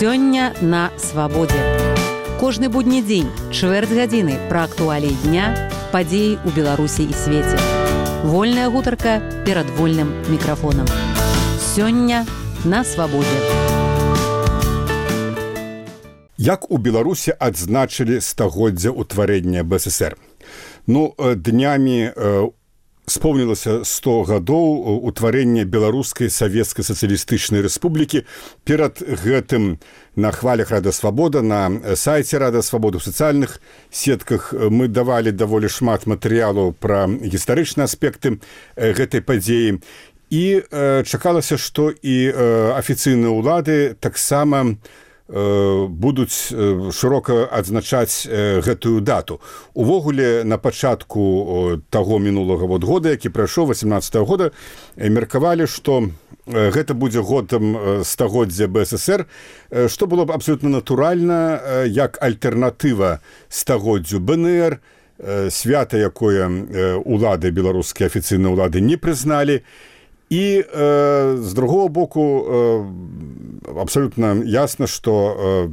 Сёння на свабодзе. Кожны будні дзень, чвэрць гадзіны пра актуаліі дня, падзеі ў Беларусі і свеце. Вольная гутарка перад вольным мікрафонам. Сёння на свабодзе. Як у Беларусі адзначылі стагоддзя ўтварэння БССР? Днямі спомнілася 100 гадоў утварэння Беларускай Савецкай Сацыялістычнай Рэспублікі. Перад гэтым на хвалях Рада Свабода, на сайце Рада Свабоды, ў сацыяльных сетках мы давалі даволі шмат матэрыялаў пра гістарычныя аспекты гэтай падзеі. І чакалася, што і афіцыйныя ўлады таксама будуць шырока адзначаць гэтую дату. Увогуле, на пачатку таго мінулага года, які прайшоў 18-го года, меркавалі, што гэта будзе годам стагоддзя БССР, што было б абсолютна натуральна, як альтэрнатыва стагоддзю БНР, свята, якое улады, беларускія афіцыйныя ўлады не прызналі. І з другого боку абсолютна ясна, што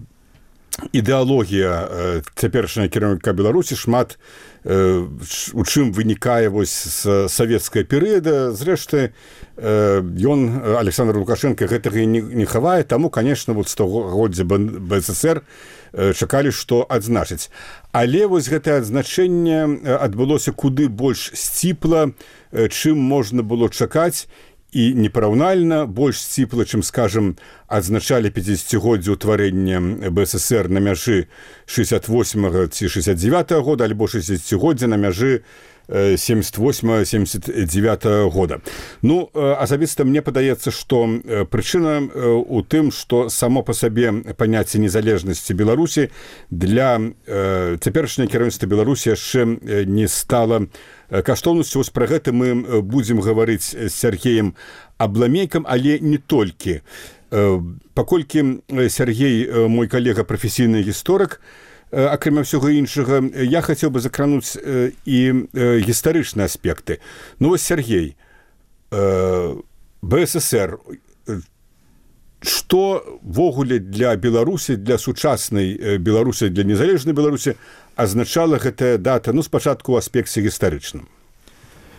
ідэалогія цяперашняга кіраўніка Беларусі шмат у чым вынікае з савецкага перыяда. Зрэшты, Александр Лукашенко гэтага не хавае, таму, конечно, стагоддзя БССР чакалі, што адзначыць. Але гэтае адзначэнне адбылося куды больш сціпла, чым можна было чакаць, і непараўнальна больш сціпла, чым, скажам, адзначалі 50-годдзе ўтварэння БССР на мяжы 68-го ці 69-го года, альбо 60-годдзя на мяжы 78-79 года. Асабіста мне падаецца, што прычына ў тым, што само па сабе паняцце незалежнасці Беларусі для цяперашняга кіраўніцтва Беларусі яшчэ не стала каштоўнасцю. Пра гэта мы будзем гаварыць з Сергеем Абламейкам, але не толькі. Паколькі Сергей, мой калега, прафесійны гісторык, акрамя ўсяго іншага, я хацеў бы закрануць і гістарычныя аспекты. Сергей, БССР, што ввогуле для Беларусі, для сучаснай Беларусі, для незалежнай Беларусі азначала гэтая дата, спачатку ў аспекце гістарычным?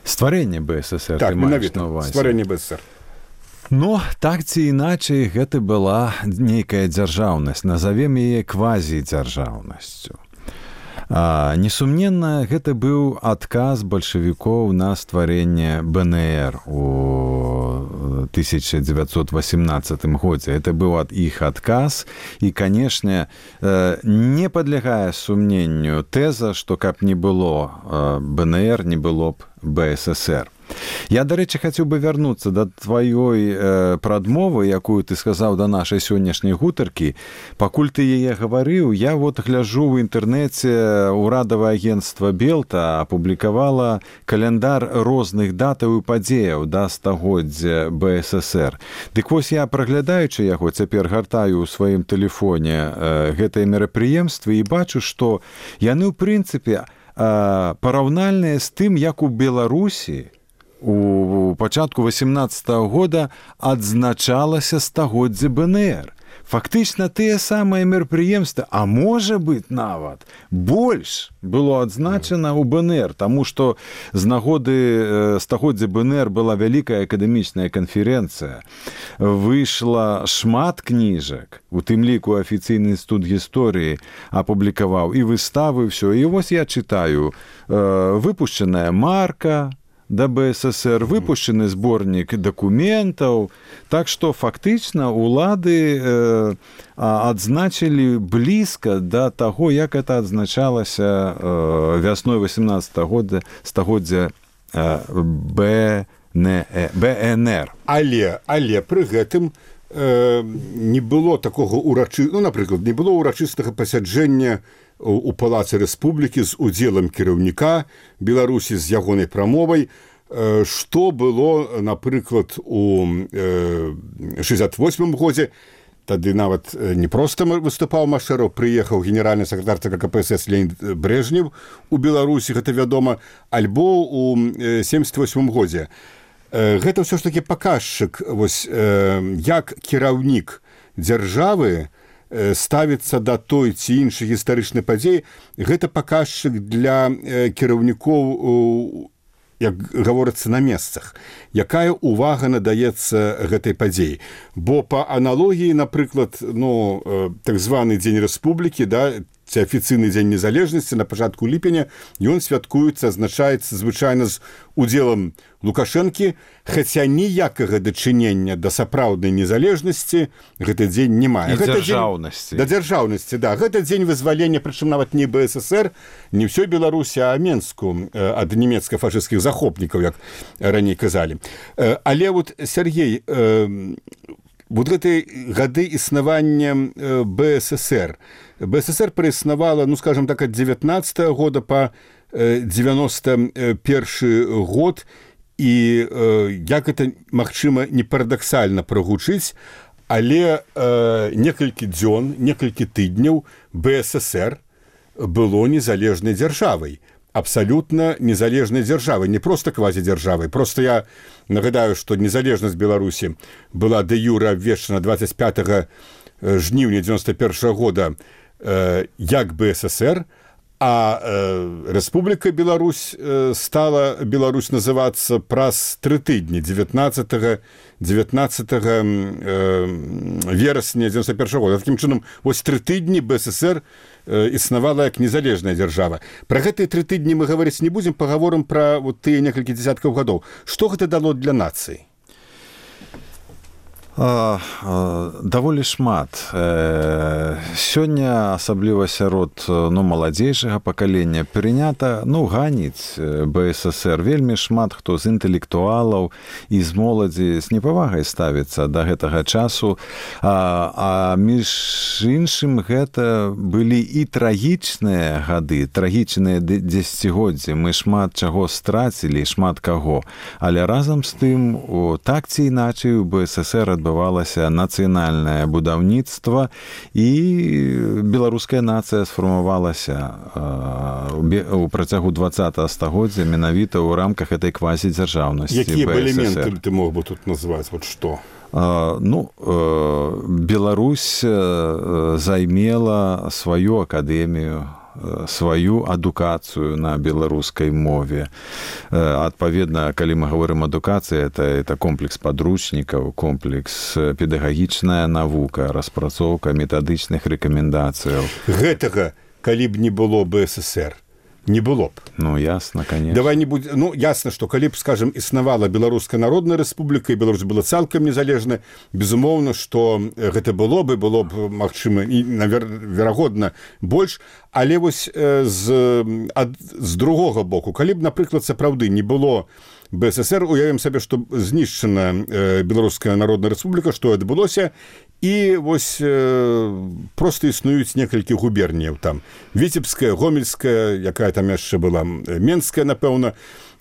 Стварэнне БССР. Так, менавіта, стварэнне БССР. Так ці іначай, гэта была нейкая дзяржаўнасць, назавем яе квазідзяржаўнасцю. Несумненна, гэта быў адказ бальшавікоў на стварэнне БНР у 1918 годзе. Это быў іх адказ, і, канешне, не падлягае сумненню тэза, што каб не было БНР, не было б БССР. Я, дарэчы, хацеў бы вярнуцца да тваёй прадмовы, якую ты сказаў да нашай сённяшняй гутаркі. Пакуль ты яе гаварыў, я гляжу ў інтэрнэце, урадавае агенцтва Белта апублікавала каляндар розных датаў і падзеяў да стагоддзя БССР. Дык вось я, праглядаючы яго, цяпер гартаю ў сваім тэлефоне гэтыя мерапрыемствы і бачу, што яны, ў прынцыпе, параўнальныя з тым, як у Беларусі у пачатку 18-го года адзначалася стагоддзе БНР. Фактычна тыя самыя мерапрыемствы, а можа быць нават больш было адзначана ў БНР, таму што з нагоды стагоддзя БНР была вялікая акадэмічная канферэнцыя, выйшла шмат кніжак, у тым ліку афіцыйны інстытут гісторыі апублікаваў і выставы, ўсё. І вось я чытаю, выпушчаная марка да БССР, выпушчаны зборнік дакументаў. Так што фактычна улады адзначылі блізка да таго, як это адзначалася вясной 18-го года стагоддзя БНР. Але пры гэтым не было такога напрыклад, не было ўрачыстага пасяджэння у Палацы Рэспублікі з удзелам кіраўніка Беларусі, з ягонай прамовай, што было, напрыклад, у 68-м годзе. Тады нават не проста выступаў Машэраў, прыехаў генеральны сакратар ЦК КПСС Леонід Брэжнев у Беларусі, гэта вядома, альбо у 78-м годзе. Гэта ўсё ж такі паказчык, як кіраўнік дзяржавы ставіцца да той ці іншай гістарычнай падзеі, гэта паказчык для кіраўнікоў, як гаворыцца, на месцах. Якая увага надаецца гэтай падзеі? Бо па аналогіі, напрыклад, так званы Дзень Рэспублікі, ці афіцыйны дзень незалежнасці на пачатку ліпеня, ён святкуецца, адзначаецца звычайна з удзелам Лукашэнкі, хаця ніякага дачынення да сапраўднай незалежнасці гэты дзень не мае. І дзяржаўнасці. Да дзяржаўнасці, да. Гэта дзень вызвалення, прычым нават не БССР, не ўсёй Беларусі, а Менску ад нямецка-фашысцкіх захопнікаў, як раней казалі. Але вот, Сергей, вот гэтай гады існавання БССР. БССР праіснавала, скажем так, ад 19-го года па 91 год, і як гэта, магчыма, не парадаксальна прагучыць, але некалькі дзён, некалькі тыдняў БССР было незалежнай дзяржавай. Абсалютна незалежнай дзяржавай, не проста квазідзяржавай. Просто я нагадаю, што незалежнасць Беларусі была дэ-юрэ абвешчана 25 жніўня 91 года як БССР, а Рэспубліка Беларусь стала Беларусь называцца праз 3 тыдні, 19 верасня 91 года. Такім чынам, вось 3 тыдні БССР існавала як незалежная дзяржава. Пра гэтыя 3 тыдні мы гаварыць не будзем, пагаворым пра вот тыя некалькі дзесяткаў гадоў. Што гэта дало для нацыі? Даволі шмат. Сёння, асабліва сярод маладзейшага пакалення, прынята ганіць БССР. Вельмі шмат хто з інтэлектуалаў і з моладзі з непавагай ставіцца да гэтага часу. А між іншым, гэта былі і трагічныя гады, трагічныя дзесяцігоддзі. Мы шмат чаго страцілі, шмат каго. Але разам з тым, так ці іначай у БССР адбывалася нацыянальнае будаўніцтва, і беларуская нацыя сфармавалася у працягу 20-го стагоддзя менавіта ў рамках этой квазідзяржаўнасці БССР. Якія б элементы ты мог бы тут назваць? Вот што? Беларусь займела сваю акадэмію, сваю адукацыю на беларускай мове. Адпаведна, калі мы говорим адукацыі, это комплекс падручнікаў, комплекс педагагічная навука, распрацоўка метадычных рэкамендацыяў. Гэтага, калі б не было БССР, не было б. Ясна, конечно. Давай не будь... ясна, што калі б, скажем, існавала Беларуская народная рэспубліка, і Беларусь была цалкам незалежна, безумоўна, што гэта было б, магчыма, і, верагодна, больш. Але вось з другога боку, калі б, напрыклад, сапраўды не было БССР, уявім сабе, што знішчана Беларуская народная рэспубліка, што адбылося, і вось проста існуюць некалькі губерніяў там. Віцебская, Гомельская, якая там яшчэ была, Менская, напэўна,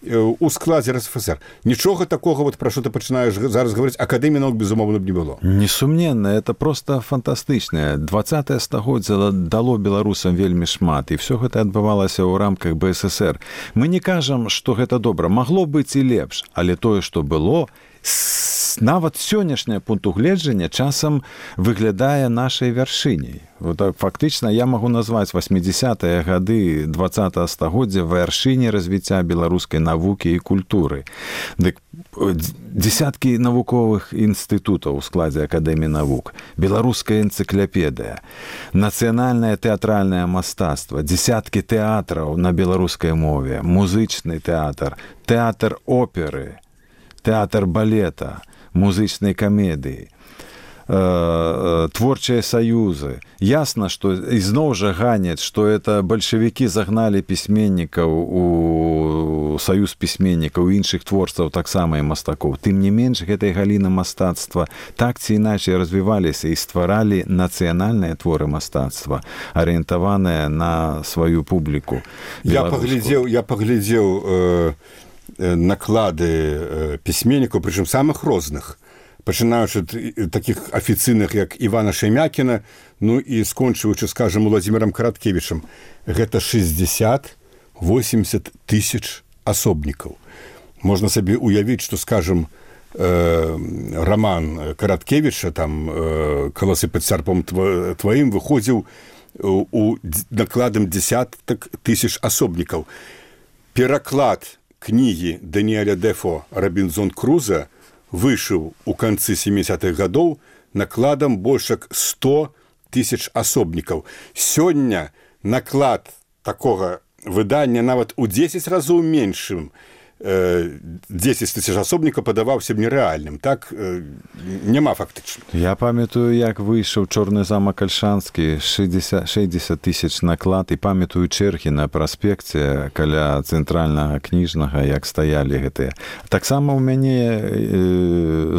у складзе РСФСР. Нічога такога, пра што ты пачынаеш зараз гаварыць, акадэміі навук, безумоўна, б не было. Несумненна, это просто фантастычна. 20-е стагоддзя дало беларусам вельмі шмат, і все гэта адбывалася ў рамках БССР. Мы не кажам, што гэта добра. Магло быць і лепш, але тое, што было, нават сённяшняе пункт угледжання часам выглядае нашай вяршыняй. Фактычна я магу назваць 80-е гады 20-го стагоддзя вяршыняй развіцця беларускай навукі і культуры. Дзесяткі навуковых інстытутаў у складзе Акадэміі навук, беларуская энцыклапедыя, нацыянальнае тэатральнае мастацтва, дзесяткі тэатраў на беларускай мове, музычны тэатр, тэатр оперы, тэатр балета, музычнай камедыі, творчыя саюзы. Ясна, што ізноў жа ганяць, што это бальшавікі загналі пісьменнікаў у саюз пісьменнікаў, іншых творцаў, таксама і мастакоў. Тым не менш, гэтай галіны мастацтва так ці іначай развіваліся і стваралі нацыянальныя творы мастацтва, арыентаваныя на сваю публіку. Я паглядзеў наклады пісьменнікаў, прычым самых розных, пачынаючы ад такіх афіцыйных, як Івана Шаймякіна, і скончываючы, скажем, Уладзімірам Караткевічам. Гэта 60-80 тысяч асобнікаў. Можна сабе уявіць, што, скажем, роман Караткевіча, там «Каласы пад сярпом тваім» выходзіў у накладам десятак тысяч асобнікаў. Пераклад кнігі Даніэля Дефо «Робінзон Круза» выйшаў у канцы 70-х гадоў накладам больш як 100 тысяч асобнікаў. Сёння наклад такога выдання нават у 10 разоў меншым, 10 тысяч асобнікаў падаваўся б нерэальным. Так няма фактычна. Я памятаю, як выйшаў «Чорны замак Альшанскі», 60 тысяч наклад, і памятаю чэргі на праспекце каля цэнтральнага кніжнага, як стаялі гэтыя. Таксама ў мяне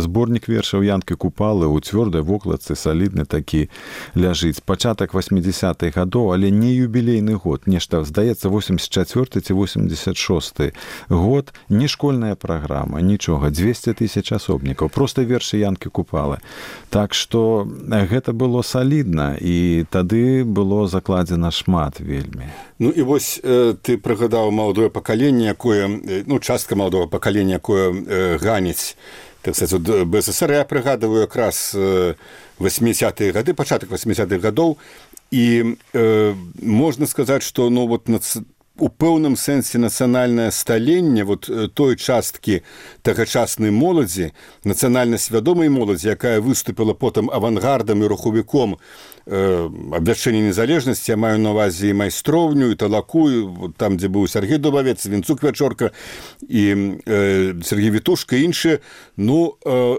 зборнік вершаў Янкі Купалы ў цвёрдай вокладцы, салідны такі, ляжыць. Пачатак 80-х гадоў, але не юбілейны год. Нешта, здаецца, 84 ці 86 год. Не школьная праграма, нічога, 200 тысяч асобнікаў, проста вершы Янкі Купалы. Так што гэта было салідна, і тады было закладзена шмат вельмі. Ну і вось ты прыгадаў маладое пакаленне, якое, частка маладого пакалення, якое ганіць, так сказаць, БССР. Я прыгадываю якраз 80-е гады, пачатак 80-х гадоў, і можна сказаць, што у пэўным сэнсе нацыянальнае сталенне той часткі тагачаснай моладзі, нацыянальна свядомай моладзі, якая выступіла потым авангардам і рухавіком абвяшчэння незалежнасці, я маю на ўвазе і майстроўню, і талаку, там, дзе быў Сергей Дубавец, Вінцук Вячорка, і Сергей Вітушка, і іншыя.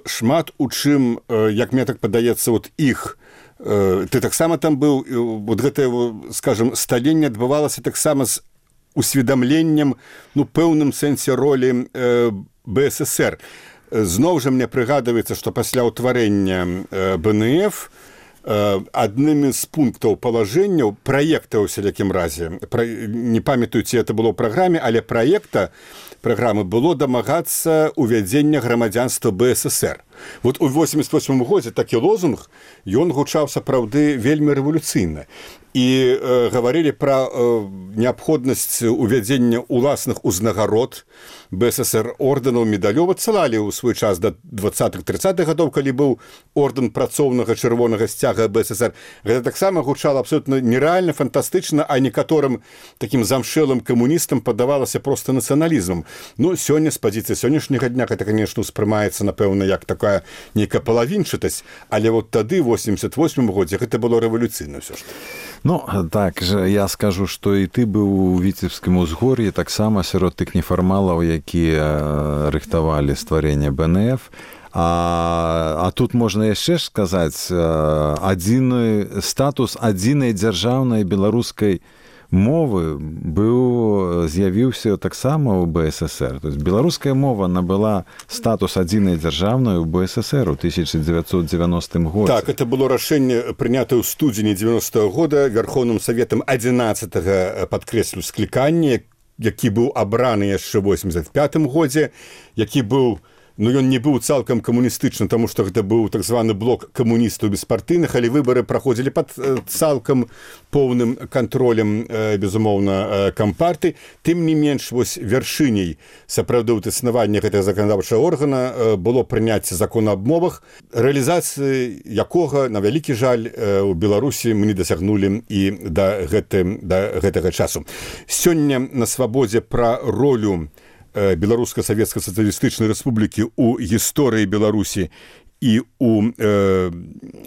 Шмат у чым, як мне так падаецца, іх, ты таксама там быў, гэтае, скажам, сталенне адбывалася таксама з усведамленнем, пэўным сэнсе ролі БССР. Зноў жа мне прыгадваецца, што пасля ўтварэння БНФ адным з пунктаў палажэнняў, праекта ў сялякім разе, не памятаю, ці это было ў праграме, але праекта праграмы было дамагацца увядзення грамадзянства БССР. У 88 годзе такі лозунг, ён гучаў сапраўды вельмі рэвалюцыйна. І гаварылі пра неабходнасць увядзення ўласных узнагарод БССР, ордэнаў, медалёў. Адсылалі ў свой час да 20-30-х гадоў, калі быў ордэн працоўнага чырвонага сцяга БССР. Гэта таксама гучала абсолютна нерэальна, фантастычна, а некаторым такім замшэлым камуністам падавалася проста нацыяналізмам. Сёння, з пазіцыі сённяшняга дня, гэта, конечно, успрымаецца, напэўна, як такая нейкая палавінчатасць, але тады, в 88-м годзе, гэта было рэвалюцыйна ўсё ж. Так же я скажу, што і ты быў у Віцебскім узгор'і, таксама сярод тых нефармалаў, якія рыхтавалі стварэнне БНФ. А тут можна яшчэ сказаць, статус адзінай дзяржаўнай беларускай мовы з'явіўся таксама ў БССР. То есть беларуская мова набыла статус адзінай дзяржаўнай у БССР у 1990 годзе. Так, это было рашэнне, прынятае ў студзені 90-го года Верховным Саветам 11-го, падкрэслю, склікання, які быў абраны яшчэ ў 85-м годзе, які быў, ён не быў цалкам камуністычны, таму што гэта быў так званы блок камуністаў беспартыйных, але выбары праходзілі пад цалкам поўным кантролем, безумоўна, кампарты. Тым не менш, вяршыняй сапраўды існавання гэтага заканадаўчага органа было прыняцце закона аб мовах, рэалізацыі якога, на вялікі жаль, у Беларусі мы не дасягнулі і да гэтага часу. Сёння на свабодзе пра ролю Беларуска-Савецка-Сацыялістычнай Рэспублікі ў гісторыі Беларусі і ў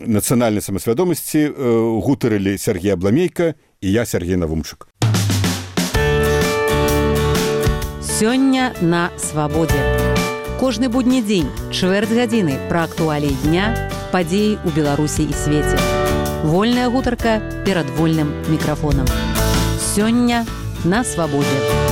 нацыянальнай самасвядомасці гутарылі Сергей Абламейка і я, Сергей Навумчык. Сёння на свабодзе. Кожны будні дзень, чвэрць гадзіны пра актуаліі дня, падзеі ў Беларусі і свеце. Вольная гутарка перад вольным мікрафонам. Сёння на свабодзе.